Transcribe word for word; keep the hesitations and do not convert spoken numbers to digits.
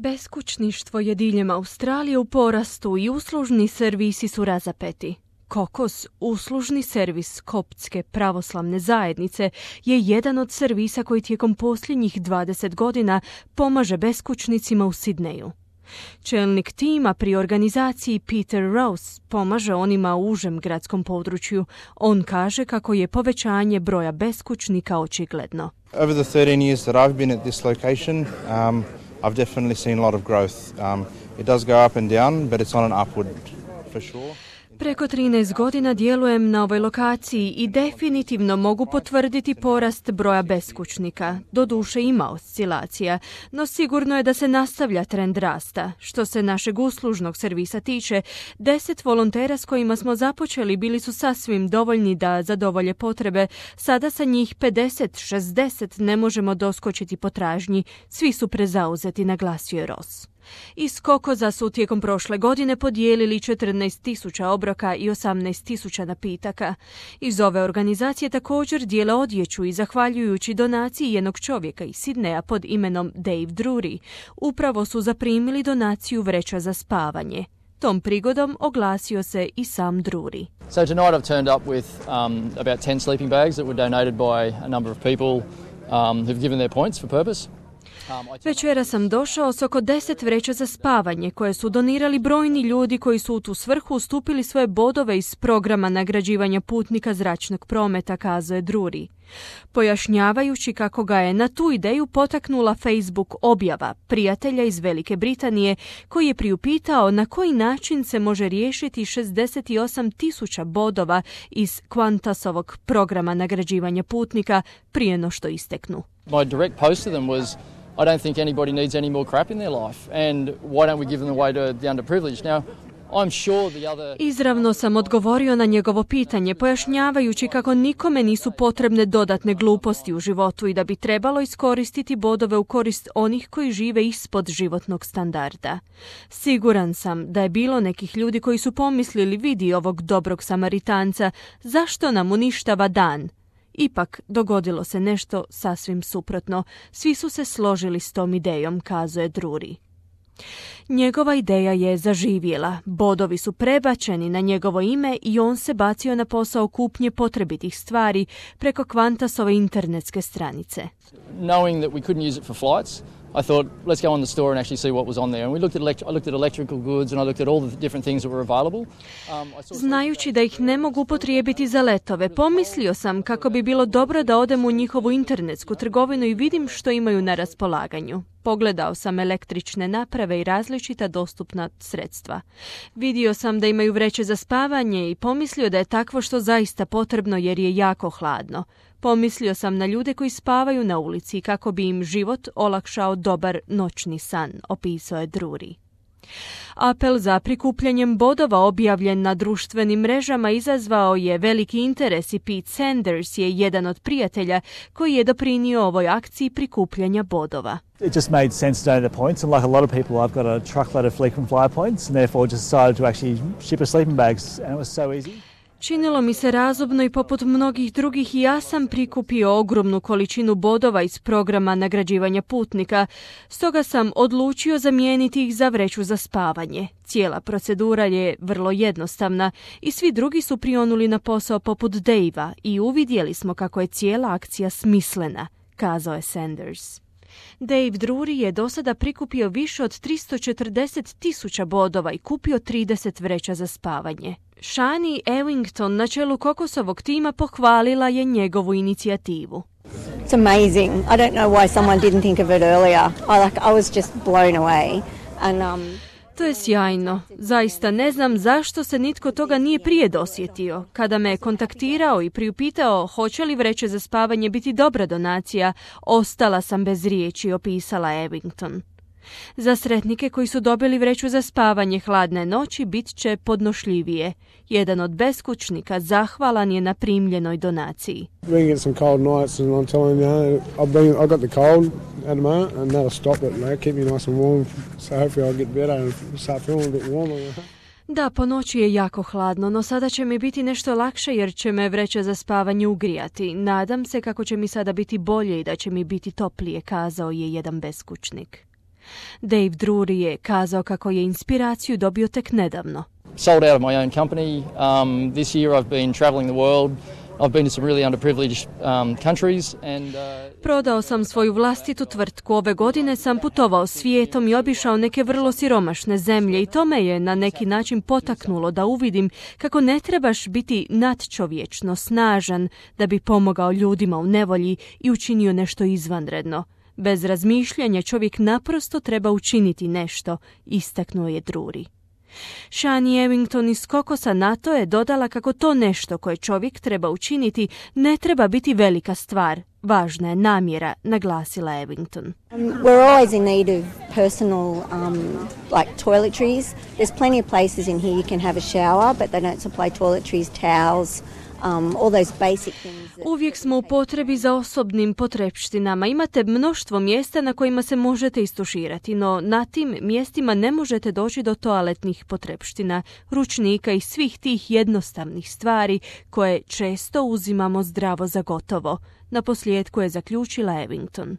Beskućništvo je diljem Australije u porastu i uslužni servisi su razapeti. Kokos, uslužni servis koptske pravoslavne zajednice, je jedan od servisa koji tijekom posljednjih dvadeset godina pomaže beskućnicima u Sidneju. Čelnik tima pri organizaciji Peter Rose pomaže onima u užem gradskom području. On kaže kako je povećanje broja beskućnika očigledno. Over the thirteen years that I've been at this location, um, I've definitely seen a lot of growth. Um, it does go up and down, but it's on an upward for sure. Preko trinaest godina djelujem na ovoj lokaciji i definitivno mogu potvrditi porast broja beskućnika. Doduše ima oscilacija, no sigurno je da se nastavlja trend rasta. Što se našeg uslužnog servisa tiče, deset volontera s kojima smo započeli bili su sasvim dovoljni da zadovolje potrebe. Sada sa njih pedeset šezdeset ne možemo doskočiti potražnji. Svi su prezauzeti, naglasio je Ross. Iz kokoza su tijekom prošle godine podijelili četrnaest tisuća obroka i osamnaest tisuća napitaka. Iz ove organizacije također dijele odjeću i zahvaljujući donaciji jednog čovjeka iz Sidneja pod imenom Dave Drury, upravo su zaprimili donaciju vreća za spavanje. Tom prigodom oglasio se i sam Drury. So tonight I've turned up with um, about ten sleeping bags that were donated by a number of people um, who've given their points for purpose. Večera sam došao s oko deset vreća za spavanje koje su donirali brojni ljudi koji su u tu svrhu ustupili svoje bodove iz programa nagrađivanja putnika zračnog prometa, kazao Drury. Pojašnjavajući kako ga je na tu ideju potaknula Facebook objava prijatelja iz Velike Britanije koji je priupitao na koji način se može riješiti šezdeset osam tisuća bodova iz Qantasovog programa nagrađivanja putnika prije no što isteknu. My direct post to them was, I don't think anybody needs any more crap in their life, and why don't we give them away to the underprivileged? Now, I'm sure the other... Izravno sam odgovorio na njegovo pitanje, pojašnjavajući kako nikome nisu potrebne dodatne gluposti u životu i da bi trebalo iskoristiti bodove u korist onih koji žive ispod životnog standarda. Siguran sam da je bilo nekih ljudi koji su pomislili, vidi ovog dobrog Samaritanca, zašto nam uništava dan? Ipak dogodilo se nešto sasvim suprotno. Svi su se složili s tom idejom, kazuje Drury. Njegova ideja je zaživjela. Bodovi su prebačeni na njegovo ime i on se bacio na posao kupnje potrebitih stvari preko Qantasove internetske stranice. Knowing that we couldn't use it for flights, I thought, let's go on the store and actually see what was on there. And we looked at elect- I looked at electrical goods and I looked at all the different things that were available. Um, I saw... Znajući da ih ne mogu upotrijebiti za letove, pomislio sam kako bi bilo dobro da odem u njihovu internetsku trgovinu i vidim što imaju na raspolaganju. Pogledao sam električne naprave i različita dostupna sredstva. Vidio sam da imaju vreće za spavanje i pomislio da je takvo što zaista potrebno jer je jako hladno. Pomislio sam na ljude koji spavaju na ulici kako bi im život olakšao dobar noćni san, opisao je Drury. Apel za prikupljanjem bodova objavljen na društvenim mrežama izazvao je veliki interes i Pete Sanders je jedan od prijatelja koji je doprinio ovoj akciji prikupljanja bodova. It just made sense to donate the points, and like a lot of people, I've got a truckload of frequent flyer points, and therefore just decided to actually ship us sleeping bags, and it was so easy. Činilo mi se razumno i poput mnogih drugih ja sam prikupio ogromnu količinu bodova iz programa nagrađivanja putnika, stoga sam odlučio zamijeniti ih za vreću za spavanje. Cijela procedura je vrlo jednostavna i svi drugi su prionuli na posao poput Dave-a i uvidjeli smo kako je cijela akcija smislena, kazao je Sanders. Dave Drury je do sada prikupio više od tristo četrdeset tisuća bodova i kupio trideset vreća za spavanje. Shani Ewington na čelu kokosovog tima pohvalila je njegovu inicijativu. It's amazing. I don't know why someone didn't think of it earlier. I like I was just blown away. And um To je sjajno. Zaista ne znam zašto se nitko toga nije prije dosjetio. Kada me je kontaktirao i priupitao hoće li vreće za spavanje biti dobra donacija, ostala sam bez riječi, opisala Ewington. Za sretnike koji su dobili vreću za spavanje hladne noći bit će podnošljivije. Jedan od beskućnika zahvalan je na primljenoj donaciji. We get some cold nights and I'm telling you, I've been I got the cold at the moment and that'll stop it, like, keep me nice and warm. So hopefully I'll get better and start feeling a bit warmer. Da, po noći je jako hladno, no sada će mi biti nešto lakše jer će me vreća za spavanje ugrijati. Nadam se kako će mi sada biti bolje i da će mi biti toplije, kazao je jedan beskućnik. Dave Drury je kazao kako je inspiraciju dobio tek nedavno. Sold out of my own company. Um, this year I've been travelling the world. I've been to some really underprivileged um, countries and uh... Prodao sam svoju vlastitu tvrtku. Ove godine sam putovao svijetom i obišao neke vrlo siromašne zemlje i to me je na neki način potaknulo da uvidim kako ne trebaš biti nadčovječno snažan da bi pomogao ljudima u nevolji i učinio nešto izvanredno. Bez razmišljanja čovjek naprosto treba učiniti nešto, istaknuo je Drury. Shani Ewington iz Kokosa na to je dodala kako to nešto koje čovjek treba učiniti ne treba biti velika stvar. Važna je namjera, naglasila Ewington. Um, we're always in need of personal um, like toiletries. There's plenty of places in here you can have a shower, but they don't supply toiletries, towels, um, all those basic things. That... Uvijek smo u potrebi za osobnim potrepštinama. Imate mnoštvo mjesta na kojima se možete istuširati, no na tim mjestima ne možete doći do toaletnih potrepština, ručnika i svih tih jednostavnih stvari koje često uzimamo zdravo za gotovo. Na posljedku je zaključila Ewington.